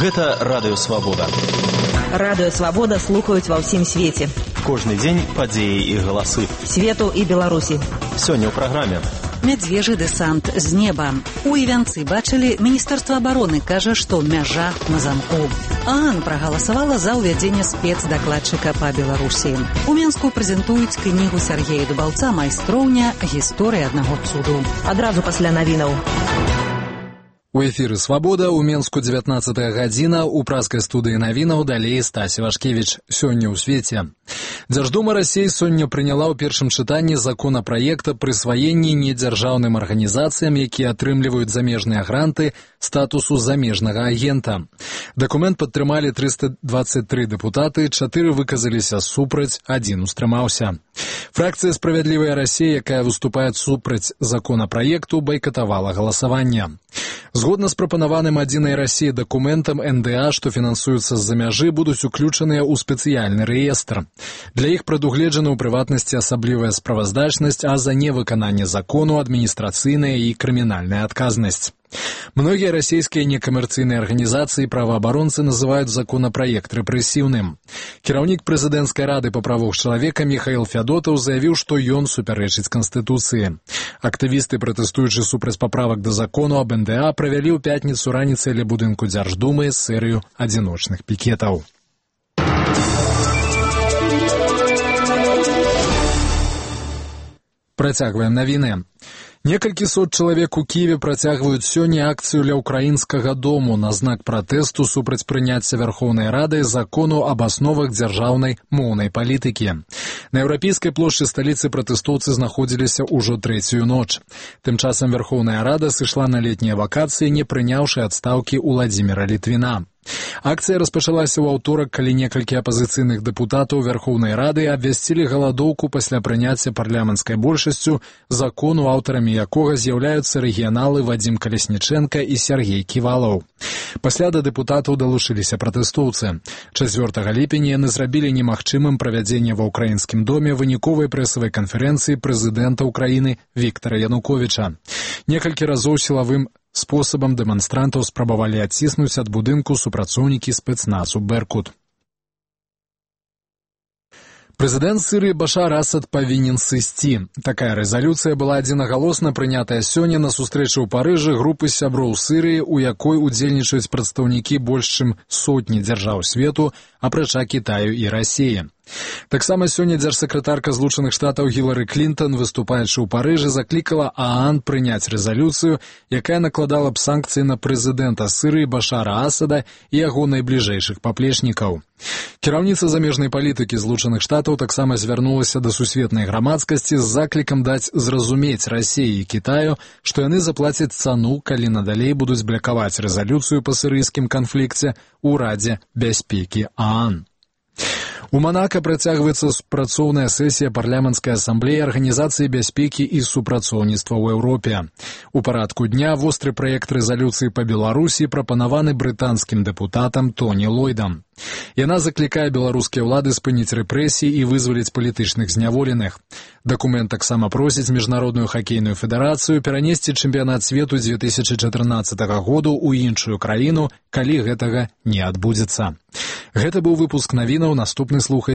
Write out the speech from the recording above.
Гэта Радыё Свабода. Радыё Свабода слухаюць ва ўсім свеце. Кожны дзень падзеі і галасы. Свету і Беларусі. Сёння ў праграме. Мядзвежы дэсант з неба. У Івянцы бачылі, Міністэрства абароны кажа, што мяжа на замку. ААН прагаласавала за ўвядзенне спецдакладчыка па Беларусі. У Менску прэзентуюць кнігу Сяргея Дубаўца «Майстроўня. Гісторыя аднаго цуду». Адразу пасля навінаў. У эфіры «Свабода», у Менску 19 гадзіна, у праскай студыі навінаў далей Стась Вашкевіч. Сёння ў свеце. Дзярждума Расіі сёння прыняла ў першым чытанні законапраект аб прысваенні недзяржаўным арганізацыям, якія атрымліваюць замежныя гранты, статусу замежнага агента. Дакумент падтрымалі 323 дэпутаты, 4 выказаліся супраць, 1 устрымаўся. Фракцыя «Справядлівая Расія», якая выступае супраць законапраекту, байкатавала галасаванне. Згодна з прапанаваным «Адзінай Расіі» дакументам, НДА, што фінансуюцца з-за мяжы, будуць уключаныя ў спецыяльны рэестр. Для іх прадугледжана ў прыватнасці асаблівая справаздачнасць, а за невыкананне закону адміністрацыйная і крымінальная адказнасць. Многія расійскія некамерцыйныя арганізацыі і праваабаронцы называюць законапраект рэпрэсіўным. Кіраўнік прэзідэнцкай рады па правах чалавека Міхаіл Фядотаў заявіў, што ён супярэчыць Канстытуцыі. Актывісты, пратэстуючы супраць паправак да закону аб НДА, правялі ў пятніцу раніцай ля будынку Дзярждумы серыю адзіночных пікетаў. Працягваем навіны. Некалькі сот чалавек у Кіеве працягваюць сёння акцыю ля ўкраінскага дому на знак пратэсту супраць прыняцця Вярхоўнай Рады закону аб асновах дзяржаўнай моўнай палітыкі. На еўрапейскай плошчы сталіцы пратэстоўцы знаходзіліся ўжо трэцюю ноч. Тым часам Вярхоўная Рада сышла на летнія вакацыі, не прыняўшы адстаўкі Уладзіміра Літвіна. Акцыя распачалася ў аўторак, калі некалькі апазіцыйных дэпутатаў Вярхоўнай Рады абвясцілі галадоўку пасля прыняцця парламенцкай большасцю закону, аўтарамі якога з'яўляюцца рэгіяналы Вадзім Каляснічэнка і Сяргей Ківалаў. Пасля да дэпутатаў далучыліся пратэстоўцы. 4 ліпеня яны зрабілі немагчымым правядзенне ва ўкраінскім доме выніковай прэсавай канферэнцыі прэзідэнта ўкраіны Віктара Януковіча. Некалькі разоў сілавым спосабам дэманстрантаў спрабавалі адціснуць ад будынку супрацоўнікі спецназу «Беркут». Прэзідэнт Сірыі Башар Асад павінен сысці. Такая рэзалюцыя была адзінагалосна прынятая сёння на сустрэчы ў Парыжы групы сяброў Сірыі, у якой удзельнічаюць прадстаўнікі больш чым сотні дзяржаў свету, апрача Кітаю і Расіі. Таксама сёння дзяржсакратарка Злучаных Штатаў Гілары Клінтон, выступаючы ў Парыжы, заклікала ААН прыняць рэзалюцыю, якая накладала б санкцыі на прэзідэнта Сірыі Башара Асада і яго найбліжэйшых паплечнікаў. Кіраўніца замежнай палітыкі Злучаных Штатаў таксама звярнулася да сусветнай грамадскасці з заклікам даць зразумець Расіі і Кітаю, што яны заплацяць цану, калі надалей будуць блакаваць рэзалюцыю па сірыйскім канфлікце ў Радзе бяспекі ААН. У Манака працягваецца супрацоўная сесія парламенцкай асамблеі Арганізацыі бяспекі і супрацоўніцтва ў Еўропе. У парадку дня востры праект рэзалюцыі па Беларусі прапанаваны брытанскім дэпутатам Тоні Ллойдам. Яна заклікае беларускія ўлады спыніць рэпрэсіі і вызваліць палітычных зняволеных. Дакумент таксама просіць Міжнародную хакейную федэрацыю перанесці чэмпіянат свету 2014 году ў іншую краіну, калі гэтага не адбудзецца. Гэта быў выпуск навінаў, наступны слухай